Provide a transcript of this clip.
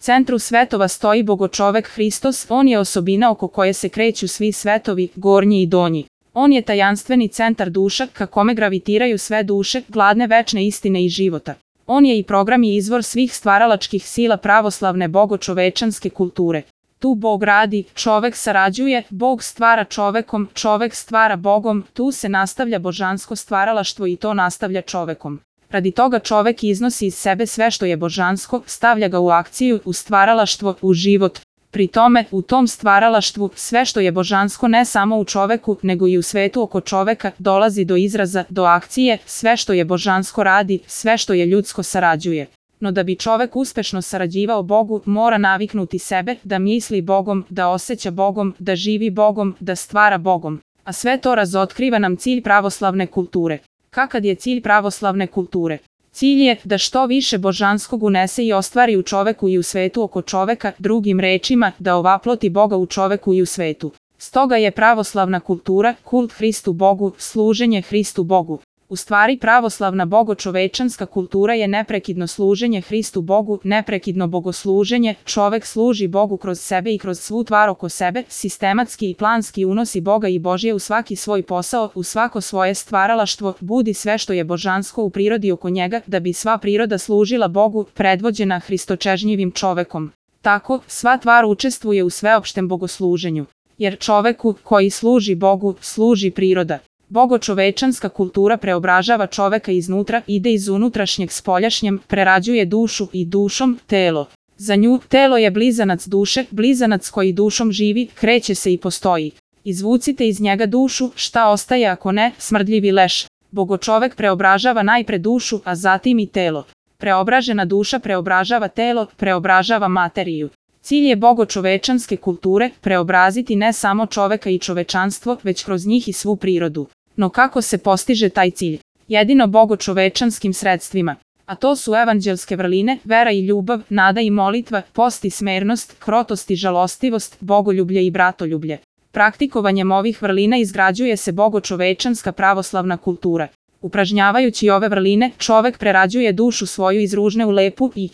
centru svetova stoji bogočovek Hristos, on je osobina oko koje se kreću svi svetovi, gornji i donji. On je tajanstveni centar duša, ka kome gravitiraju sve duše, gladne večne istine i života. On je i program i izvor svih stvaralačkih sila pravoslavne bogočovečanske kulture. Tu Bog radi, čovek sarađuje, Bog stvara čovekom, čovek stvara Bogom, tu se nastavlja božansko stvaralaštvo i to nastavlja čovekom. Radi toga čovek iznosi iz sebe sve što je božansko, stavlja ga u akciju, u stvaralaštvo, u život. Pri tome, u tom stvaralaštvu, sve što je božansko ne samo u čoveku, nego i u svetu oko čoveka, dolazi do izraza, do akcije, sve što je božansko radi, sve što je ljudsko sarađuje. No da bi čovek uspešno sarađivao Bogu, mora naviknuti sebe, da misli Bogom, da osjeća Bogom, da živi Bogom, da stvara Bogom. A sve to razotkriva nam cilj pravoslavne kulture. Kakav je cilj pravoslavne kulture? Cilj je da što više božanskog unese i ostvari u čoveku i u svetu oko čoveka, drugim rečima, da ovaploti Boga u čoveku i u svetu. Stoga je pravoslavna kultura, kult Hristu Bogu, služenje Hristu Bogu. U stvari pravoslavna bogočovečanska kultura je neprekidno služenje Hristu Bogu, neprekidno bogosluženje, čovek služi Bogu kroz sebe i kroz svu tvar oko sebe, sistematski i planski unosi Boga i Božje u svaki svoj posao, u svako svoje stvaralaštvo, budi sve što je božansko u prirodi oko njega, da bi sva priroda služila Bogu, predvođena hristočežnjivim čovekom. Tako, sva tvar učestvuje u sveopštem bogosluženju. Jer čoveku, koji služi Bogu, služi priroda. Bogočovečanska kultura preobražava čoveka iznutra, ide iz unutrašnjeg spoljašnjem, prerađuje dušu i dušom telo. Za nju, telo je blizanac duše, blizanac koji dušom živi, kreće se i postoji. Izvucite iz njega dušu, šta ostaje ako ne, smrdljivi leš. Bogočovek preobražava najpre dušu, a zatim i telo. Preobražena duša preobražava telo, preobražava materiju. Cilj je bogočovečanske kulture preobraziti ne samo čoveka i čovečanstvo, već kroz njih i svu prirodu. No kako se postiže taj cilj? Jedino bogočovečanskim sredstvima. A to su evanđelske vrline, vera i ljubav, nada i molitva, post i smernost, krotost i žalostivost, bogoljublje i bratoljublje. Praktikovanjem ovih vrlina izgrađuje se bogočovečanska pravoslavna kultura. Upražnjavajući ove vrline, čovek prerađuje dušu svoju iz ružne u lepu i